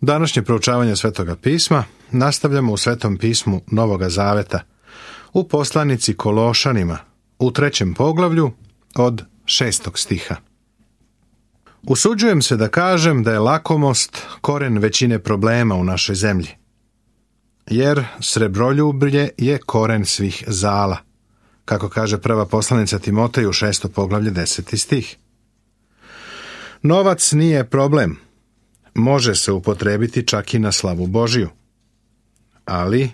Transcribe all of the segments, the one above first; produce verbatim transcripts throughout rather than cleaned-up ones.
Današnje proučavanje Svetoga pisma nastavljamo u Svetom pismu Novoga Zaveta, u poslanici Kološanima, u trećem poglavlju od šestog stiha. Usuđujem se da kažem da je lakomost koren većine problema u našoj zemlji, jer srebroljublje je koren svih zala, kako kaže prva poslanica Timoteju, šesto poglavlje, deseti stih. Novac nije problem, može se upotrebiti čak i na slavu Božiju. Ali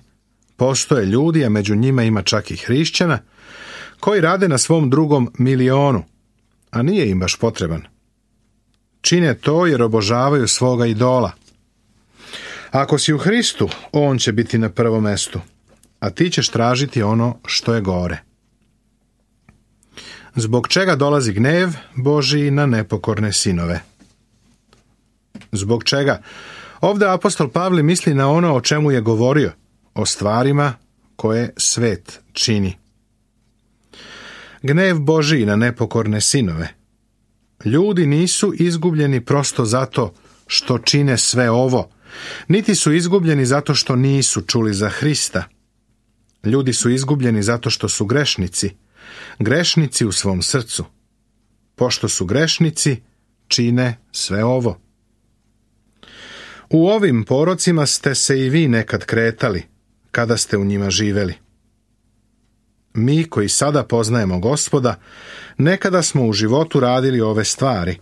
postoje ljudi, a među njima ima čak i hrišćana, koji rade na svom drugom milionu, a nije im baš potreban. Čine to jer obožavaju svoga idola. Ako si u Hristu, on će biti na prvom mestu, a ti ćeš tražiti ono što je gore. Zbog čega dolazi gnev Božiji na nepokorne sinove? Zbog čega? Ovdje apostol Pavle misli na ono o čemu je govorio, o stvarima koje svet čini. Gnev Božiji na nepokorne sinove. Ljudi nisu izgubljeni prosto zato što čine sve ovo, niti su izgubljeni zato što nisu čuli za Hrista. Ljudi su izgubljeni zato što su grešnici, grešnici u svom srcu. Pošto su grešnici, čine sve ovo. U ovim porocima ste se i vi nekad kretali, kada ste u njima živeli. Mi koji sada poznajemo Gospoda, nekada smo u životu radili ove stvari.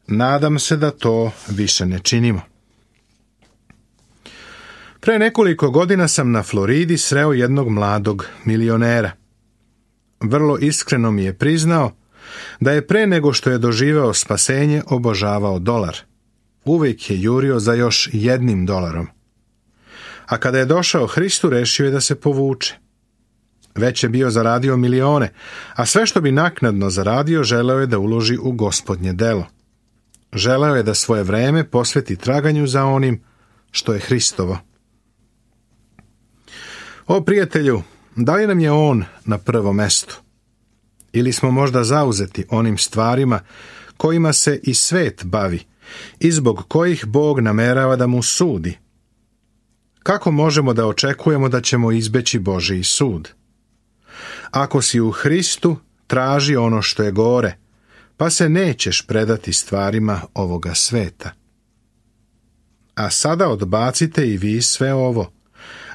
Nadam se da to više ne činimo. Pre nekoliko godina sam na Floridi sreo jednog mladog milionera. Vrlo iskreno mi je priznao da je pre nego što je doživeo spasenje obožavao dolar. Uvijek je jurio za još jednim dolarom. A kada je došao Hristu, rešio je da se povuče. Već je bio zaradio milione, a sve što bi naknadno zaradio želeo je da uloži u Gospodnje delo. Želeo je da svoje vreme posveti traganju za onim što je Hristovo. O prijatelju, da li nam je on na prvom mestu? Ili smo možda zauzeti onim stvarima kojima se i svet bavi i zbog kojih Bog namerava da mu sudi? Kako možemo da očekujemo da ćemo izbeći Božji sud? Ako si u Hristu, traži ono što je gore, pa se nećeš predati stvarima ovoga sveta. A sada odbacite i vi sve ovo: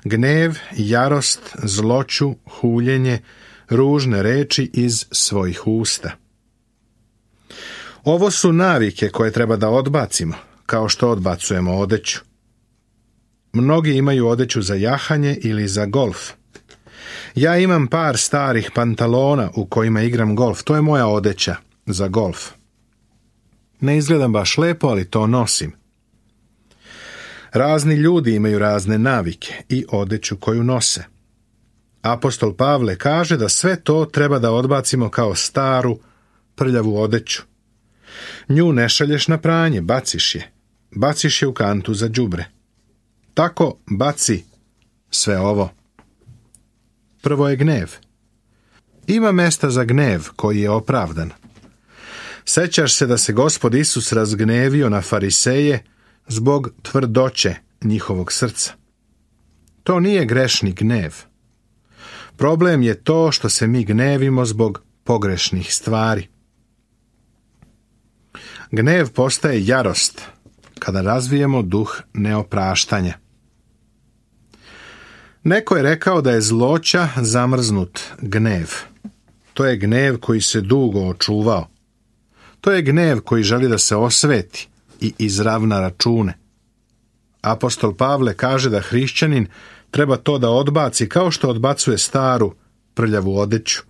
gnev, jarost, zloću, huljenje, ružne reči iz svojih usta. Ovo su navike koje treba da odbacimo, kao što odbacujemo odeću. Mnogi imaju odeću za jahanje ili za golf. Ja imam par starih pantalona u kojima igram golf. To je moja odeća za golf. Ne izgledam baš lepo, ali to nosim. Razni ljudi imaju razne navike i odeću koju nose. Apostol Pavle kaže da sve to treba da odbacimo kao staru, prljavu odeću. Nju ne šalješ na pranje, baciš je. Baciš je u kantu za đubre. Tako baci sve ovo. Prvo je gnev. Ima mesta za gnev koji je opravdan. Sećaš se da se Gospod Isus razgnevio na fariseje zbog tvrdoće njihovog srca. To nije grešni gnev. Problem je to što se mi gnevimo zbog pogrešnih stvari. Gnev postaje jarost kada razvijemo duh neopraštanja. Neko je rekao da je zloća zamrznut gnev. To je gnev koji se dugo očuvao. To je gnev koji želi da se osveti i izravna račune. Apostol Pavle kaže da hrišćanin treba to da odbaci kao što odbacuje staru, prljavu odeću.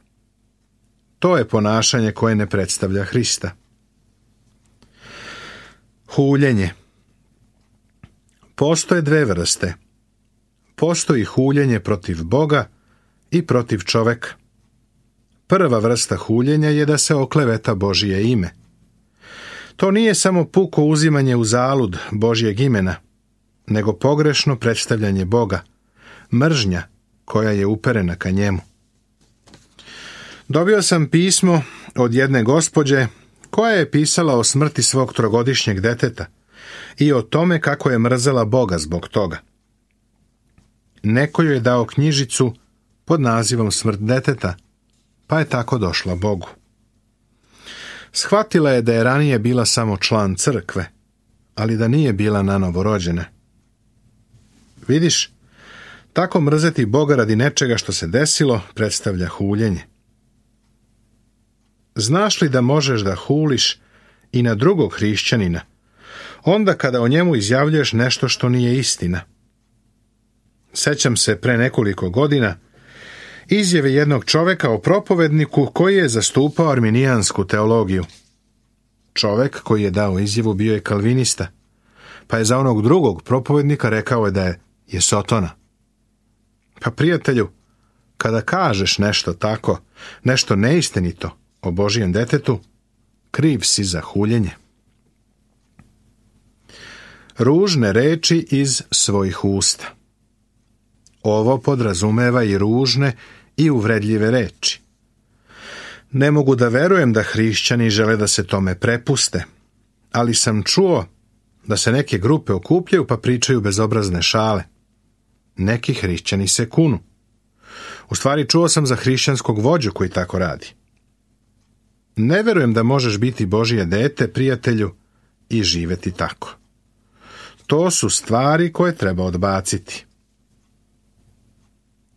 To je ponašanje koje ne predstavlja Hrista. Huljenje. Postoje dve vrste. Postoji huljenje protiv Boga i protiv čoveka. Prva vrsta huljenja je da se okleveta Božje ime. To nije samo puko uzimanje u zalud Božjeg imena, nego pogrešno predstavljanje Boga, mržnja koja je uperena ka njemu. Dobio sam pismo od jedne gospođe koja je pisala o smrti svog trogodišnjeg deteta i o tome kako je mrzela Boga zbog toga. Neko joj je dao knjižicu pod nazivom Smrt deteta, pa je tako došla Bogu. Shvatila je da je ranije bila samo član crkve, ali da nije bila nanovo rođena. Vidiš, tako mrzeti Boga radi nečega što se desilo predstavlja huljenje. Znaš li da možeš da huliš i na drugog hrišćanina, onda kada o njemu izjavljuješ nešto što nije istina? Sećam se pre nekoliko godina izjave jednog čoveka o propovedniku koji je zastupao arminijansku teologiju. Čovek koji je dao izjavu bio je kalvinista, pa je za onog drugog propovednika rekao je da je, je sotona. Pa prijatelju, kada kažeš nešto tako, nešto neistinito o Božijem detetu, kriv si za huljenje. Ružne reči iz svojih usta. Ovo podrazumeva i ružne i uvredljive reči. Ne mogu da verujem da hrišćani žele da se tome prepuste, ali sam čuo da se neke grupe okupljaju pa pričaju bezobrazne šale. Neki hrišćani se kunu. U stvari čuo sam za hrišćanskog vođu koji tako radi. Ne verujem da možeš biti Božije dete, prijatelju, i živeti tako. To su stvari koje treba odbaciti.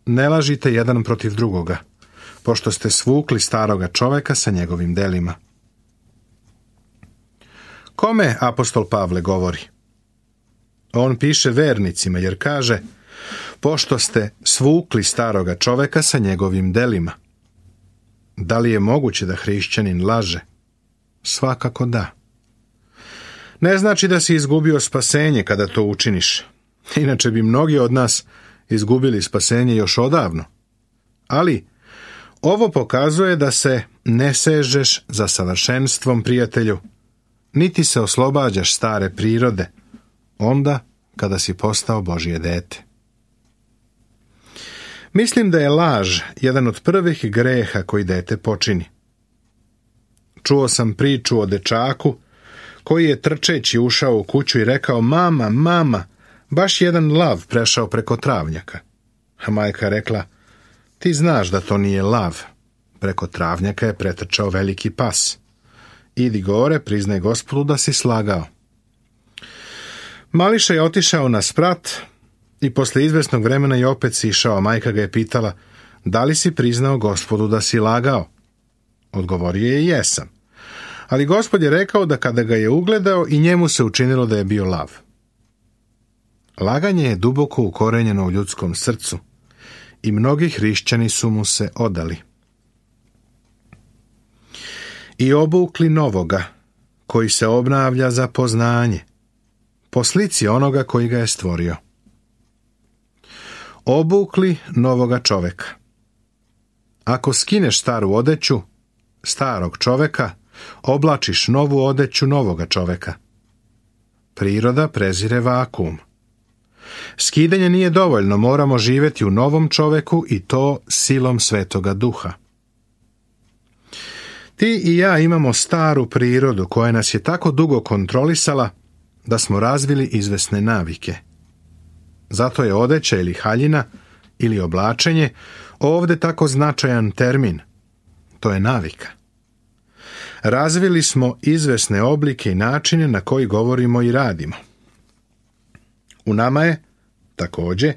Ne lažite jedan protiv drugoga, pošto ste svukli staroga čoveka sa njegovim delima. Kome apostol Pavle govori? On piše vernicima jer kaže, pošto ste svukli staroga čoveka sa njegovim delima. Da li je moguće da hrišćanin laže? Svakako da. Ne znači da si izgubio spasenje kada to učiniš. Inače bi mnogi od nas izgubili spasenje još odavno. Ali ovo pokazuje da se ne sežeš za savršenstvom, prijatelju, niti se oslobađaš stare prirode, onda kada si postao Božje dete. Mislim da je laž jedan od prvih greha koji dete počini. Čuo sam priču o dečaku koji je trčeći ušao u kuću i rekao, mama, mama, baš jedan lav prešao preko travnjaka. A majka rekla, ti znaš da to nije lav. Preko travnjaka je pretrčao veliki pas. Idi gore, priznaj Gospodu da si slagao. Mališa je otišao na sprat i posle izvesnog vremena je opet sišao. Majka ga je pitala, da li si priznao Gospodu da si lagao? Odgovorio je, jesam. Ali Gospod je rekao da kada ga je ugledao i njemu se učinilo da je bio lav. Laganje je duboko ukorenjeno u ljudskom srcu i mnogi hrišćani su mu se odali. I obukli novoga, koji se obnavlja za poznanje, po slici onoga koji ga je stvorio. Obukli novoga čoveka. Ako skineš staru odeću, starog čoveka, oblačiš novu odeću novoga čoveka. Priroda prezire vakuum. Skidanje nije dovoljno, moramo živjeti u novom čoveku i to silom Svetoga Duha. Ti i ja imamo staru prirodu koja nas je tako dugo kontrolisala da smo razvili izvesne navike. Zato je odeća ili haljina ili oblačenje ovdje tako značajan termin. To je navika. Razvili smo izvesne oblike i načine na koji govorimo i radimo. U nama je, također,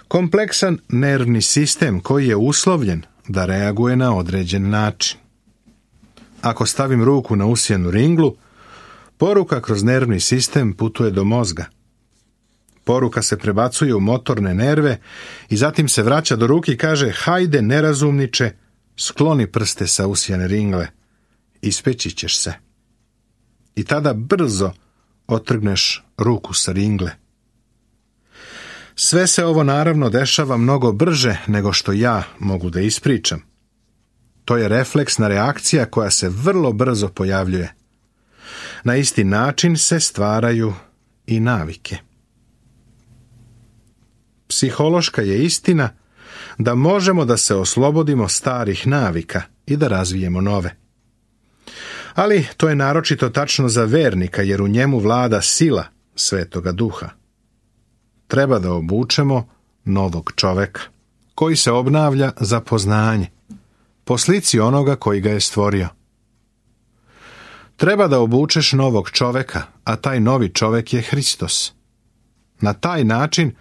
kompleksan nervni sistem koji je uslovljen da reaguje na određen način. Ako stavim ruku na usijanu ringlu, poruka kroz nervni sistem putuje do mozga. Poruka se prebacuje u motorne nerve i zatim se vraća do ruke i kaže, hajde nerazumniče, skloni prste sa usijane ringle, ispeći ćeš se. I tada brzo otrgneš ruku sa ringle. Sve se ovo naravno dešava mnogo brže nego što ja mogu da ispričam. To je refleksna reakcija koja se vrlo brzo pojavljuje. Na isti način se stvaraju i navike. Psihološka je istina da možemo da se oslobodimo starih navika i da razvijemo nove. Ali to je naročito tačno za vernika, jer u njemu vlada sila Svetoga Duha. Treba da obučemo novog čoveka, koji se obnavlja za poznanje, po slici onoga koji ga je stvorio. Treba da obučeš novog čoveka, a taj novi čovek je Hristos. Na taj način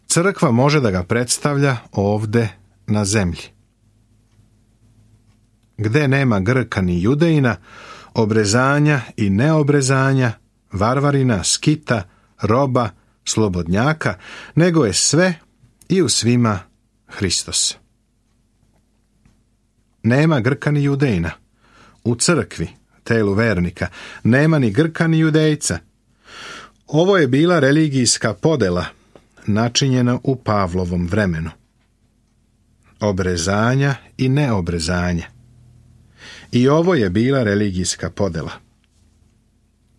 crkva može da ga predstavlja ovde na zemlji. Gde nema Grka ni Judejina, obrezanja i neobrezanja, varvarina, skita, roba, slobodnjaka, nego je sve i u svima Hristos. Nema Grka ni Judejina. U crkvi, telu vernika, nema ni Grka ni Judejca. Ovo je bila religijska podela, načinjena u Pavlovom vremenu. Obrezanja i neobrezanja. I ovo je bila religijska podela.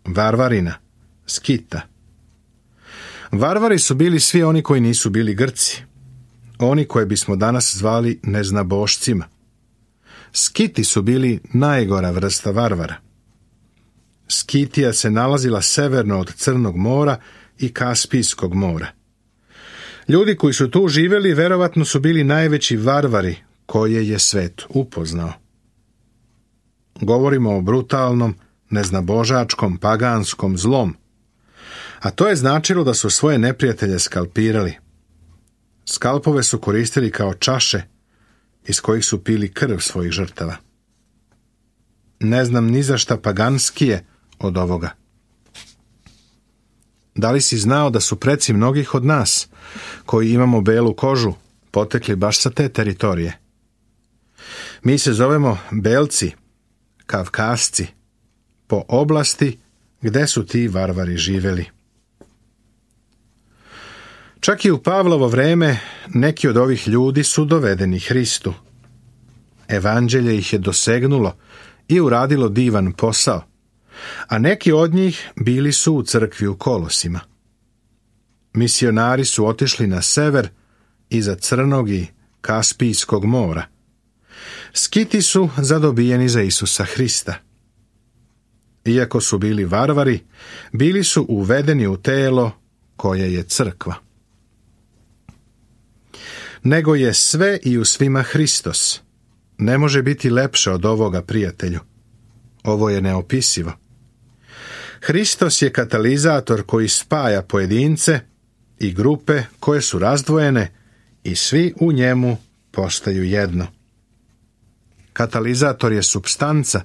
Varvarina, skita. Varvari su bili svi oni koji nisu bili Grci, oni koje bismo danas zvali neznabošcima. Skiti su bili najgora vrsta varvara. Skitija se nalazila severno od Crnog mora i Kaspijskog mora. Ljudi koji su tu živjeli verovatno su bili najveći varvari koje je svet upoznao. Govorimo o brutalnom, neznabožačkom, paganskom zlom, a to je značilo da su svoje neprijatelje skalpirali. Skalpove su koristili kao čaše iz kojih su pili krv svojih žrtava. Ne znam ni za šta paganskije od ovoga. Da li si znao da su preci mnogih od nas, koji imamo belu kožu, potekli baš sa te teritorije? Mi se zovemo Belci, Kavkasci, po oblasti gde su ti varvari živeli. Čak i u Pavlovo vreme neki od ovih ljudi su dovedeni Hristu. Evanđelje ih je dosegnulo i uradilo divan posao, a neki od njih bili su u crkvi u Kolosima. Misionari su otišli na sever iza Crnog i Kaspijskog mora. Skiti su zadobijeni za Isusa Hrista. Iako su bili varvari, bili su uvedeni u telo koje je crkva. Nego je sve i u svima Hristos. Ne može biti lepše od ovoga, prijatelju. Ovo je neopisivo. Hristos je katalizator koji spaja pojedince i grupe koje su razdvojene i svi u njemu postaju jedno. Katalizator je supstanca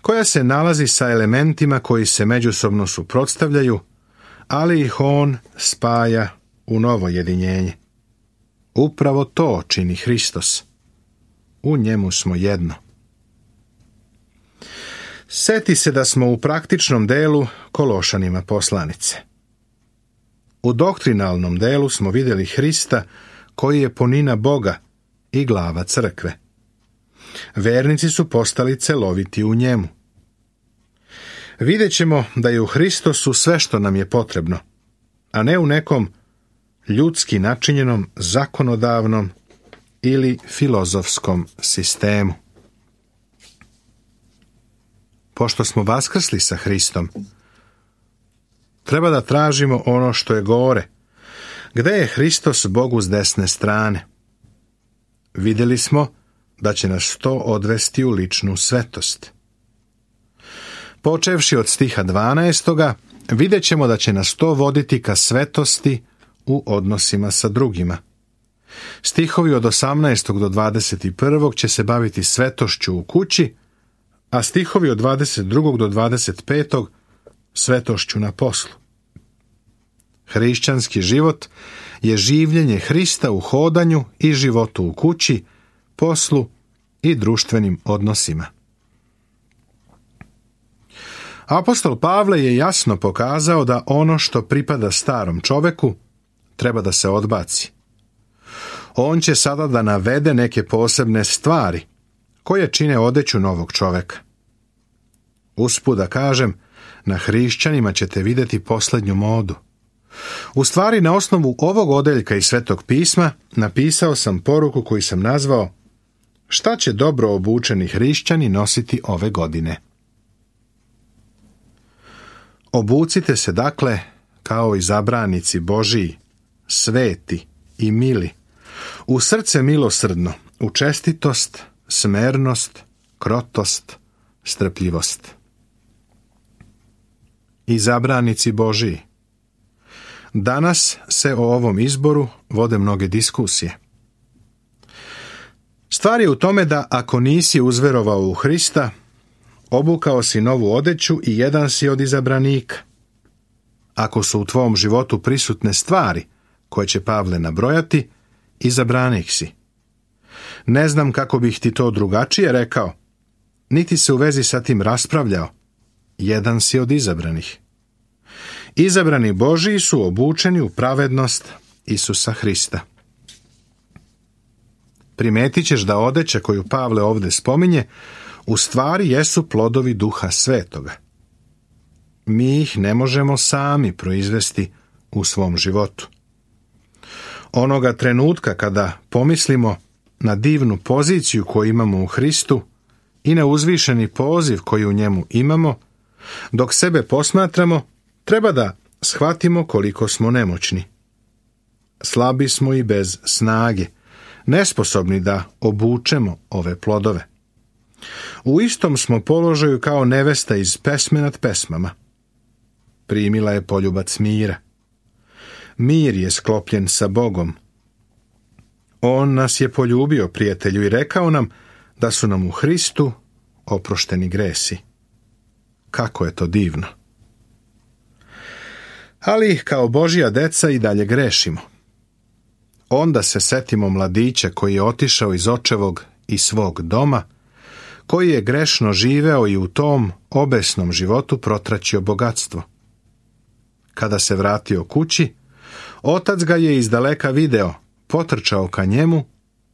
koja se nalazi sa elementima koji se međusobno suprotstavljaju, ali ih on spaja u novo jedinjenje. Upravo to čini Hristos. U njemu smo jedno. Seti se da smo u praktičnom delu Kološanima poslanice. U doktrinalnom delu smo vidjeli Hrista koji je punina Boga i glava crkve. Vernici su postali celoviti u njemu. Vidjet ćemo da je u Hristosu sve što nam je potrebno, a ne u nekom ljudski načinjenom, zakonodavnom ili filozofskom sistemu. Pošto smo vaskrsli sa Hristom, treba da tražimo ono što je gore. Gde je Hristos Bogu s desne strane? Vidjeli smo da će nas to odvesti u ličnu svetost. Počevši od stiha dvanaestoga, vidjet ćemo da će nas to voditi ka svetosti u odnosima sa drugima. Stihovi od osamnaestog do dvadeset prvog će se baviti svetošću u kući, a stihovi od dvadeset drugog do dvadeset petog svetošću na poslu. Hrišćanski život je življenje Hrista u hodanju i životu u kući, poslu i društvenim odnosima. Apostol Pavle je jasno pokazao da ono što pripada starom čoveku treba da se odbaci. On će sada da navede neke posebne stvari koje čine odeću novog čoveka. Usput da kažem, na hrišćanima ćete vidjeti posljednju modu. U stvari, na osnovu ovog odeljka iz Svetog pisma napisao sam poruku koju sam nazvao Šta će dobro obučeni hrišćani nositi ove godine? Obucite se dakle kao izabranici Božiji, sveti i mili, u srce milosrdno, u čestitost, smernost, krotost, strpljivost. Izabranici Božiji. Danas se o ovom izboru vode mnoge diskusije. Stvar je u tome da ako nisi uzverovao u Hrista, obukao si novu odeću i jedan si od izabranika. Ako su u tvom životu prisutne stvari koje će Pavle nabrojati, izabranik si. Ne znam kako bih ti to drugačije rekao, niti se u vezi sa tim raspravljao. Jedan si od izabranih. Izabrani Božiji su obučeni u pravednost Isusa Hrista. Primetit ćeš da odeća koju Pavle ovdje spominje u stvari jesu plodovi Duha Svetoga. Mi ih ne možemo sami proizvesti u svom životu. Onoga trenutka kada pomislimo na divnu poziciju koju imamo u Hristu i na uzvišeni poziv koji u njemu imamo, dok sebe posmatramo, treba da shvatimo koliko smo nemoćni. Slabi smo i bez snage, nesposobni da obučemo ove plodove. U istom smo položaju kao nevesta iz pesme nad pesmama. Primila je poljubac mira. Mir je sklopljen sa Bogom. On nas je poljubio, prijatelju, i rekao nam da su nam u Hristu oprošteni gresi. Kako je to divno! Ali kao Božja deca i dalje grešimo. Onda se setimo mladića koji je otišao iz očevog i svog doma, koji je grešno živeo i u tom obesnom životu protraćio bogatstvo. Kada se vratio kući, otac ga je izdaleka video, potrčao ka njemu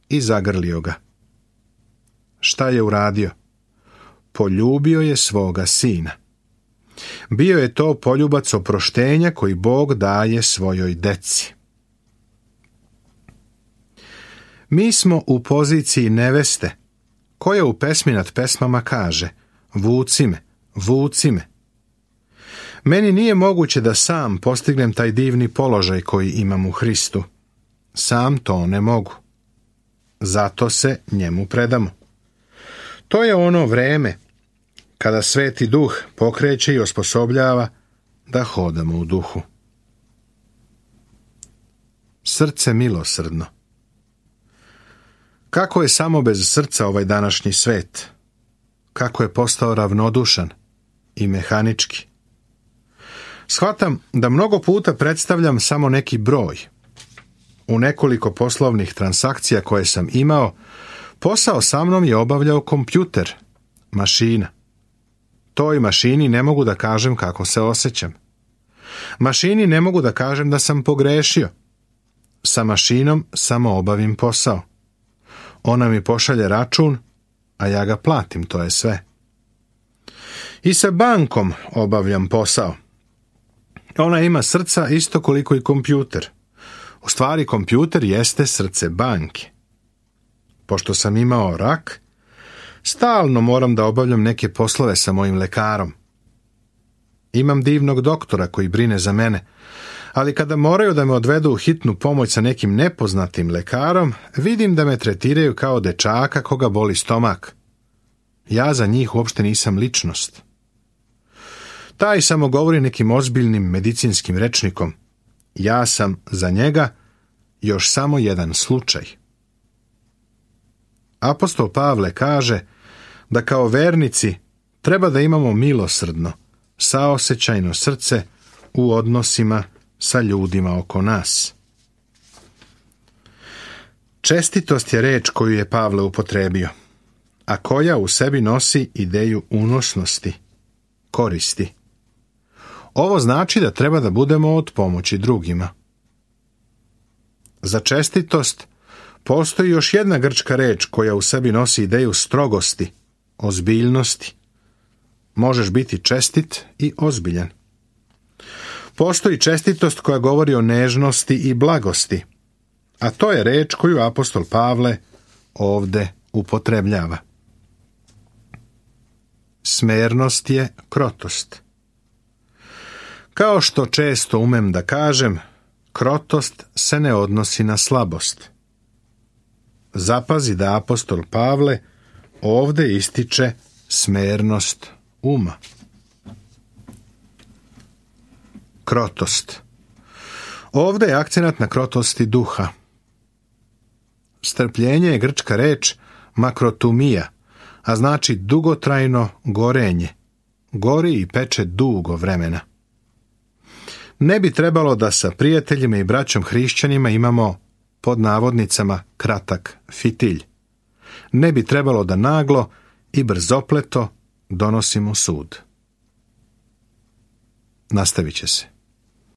i zagrlio ga. Šta je uradio? Poljubio je svoga sina. Bio je to poljubac oproštenja koji Bog daje svojoj deci. Mi smo u poziciji neveste, koja u pesmi nad pesmama kaže: vuci me, vuci me. Meni nije moguće da sam postignem taj divni položaj koji imam u Hristu. Sam to ne mogu. Zato se njemu predamo. To je ono vreme kada Sveti Duh pokreće i osposobljava da hodamo u duhu. Srce milosrdno. Kako je samo bez srca ovaj današnji svet? Kako je postao ravnodušan i mehanički? Shvatam da mnogo puta predstavljam samo neki broj. U nekoliko poslovnih transakcija koje sam imao, posao sa mnom je obavljao kompjuter, mašina. Toj mašini ne mogu da kažem kako se osjećam. Mašini ne mogu da kažem da sam pogrešio. Sa mašinom samo obavim posao. Ona mi pošalje račun, a ja ga platim, to je sve. I sa bankom obavljam posao. Ona ima srca isto koliko i kompjuter. U stvari, kompjuter jeste srce banke. Pošto sam imao rak, stalno moram da obavljam neke poslove sa mojim lekarom. Imam divnog doktora koji brine za mene, ali kada moraju da me odvedu u hitnu pomoć sa nekim nepoznatim lekarom, vidim da me tretiraju kao dečaka koga boli stomak. Ja za njih uopšte nisam ličnost. Taj samo govori nekim ozbiljnim medicinskim rečnikom. Ja sam za njega još samo jedan slučaj. Apostol Pavle kaže da kao vernici treba da imamo milosrdno, saosećajno srce u odnosima sa ljudima oko nas. Čestitost je reč koju je Pavle upotrebio, a koja u sebi nosi ideju unosnosti, koristi. Ovo znači da treba da budemo od pomoći drugima. Za čestitost postoji još jedna grčka reč koja u sebi nosi ideju strogosti, ozbiljnosti. Možeš biti čestit i ozbiljan. Postoji čestitost koja govori o nežnosti i blagosti, a to je reč koju apostol Pavle ovde upotrebljava. Smernost je krotost. Kao što često umem da kažem, krotost se ne odnosi na slabost. Zapazi da apostol Pavle ovde ističe smernost uma. Krotost. Ovde je akcenat na krotosti duha. Strpljenje je grčka reč makrotumija, a znači dugotrajno gorenje. Gori i peče dugo vremena. Ne bi trebalo da sa prijateljima i braćom hrišćanima imamo pod navodnicama kratak fitilj. Ne bi trebalo da naglo i brzopleto donosimo sud. Nastavit će se.